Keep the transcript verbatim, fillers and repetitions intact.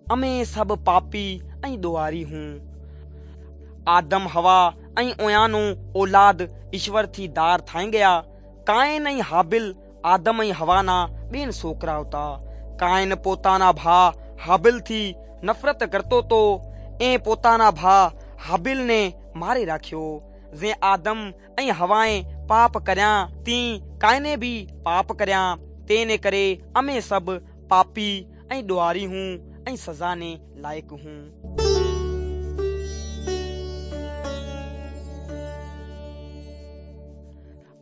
અમે સબ પાપી ऐं ॾोहारी हूं। आदम हवा ऐं ओयानो औलाद ईश्वर थी दार थाई गया। कायन ऐं हाबिल आदम ऐं हवाना बेन छोकरा हुता। कायन पोताना भा हाबिल थी नफरत करतो तो ए पोताना भा हाबिल ने मारे राख्यो। जे आदम ऐं हवाए पाप करया ती कायने भी पाप करया। तेने करे अमे सब पापी ऐं ॾोहारी हूं ऐं सज़ा ने लाइक़ हूं।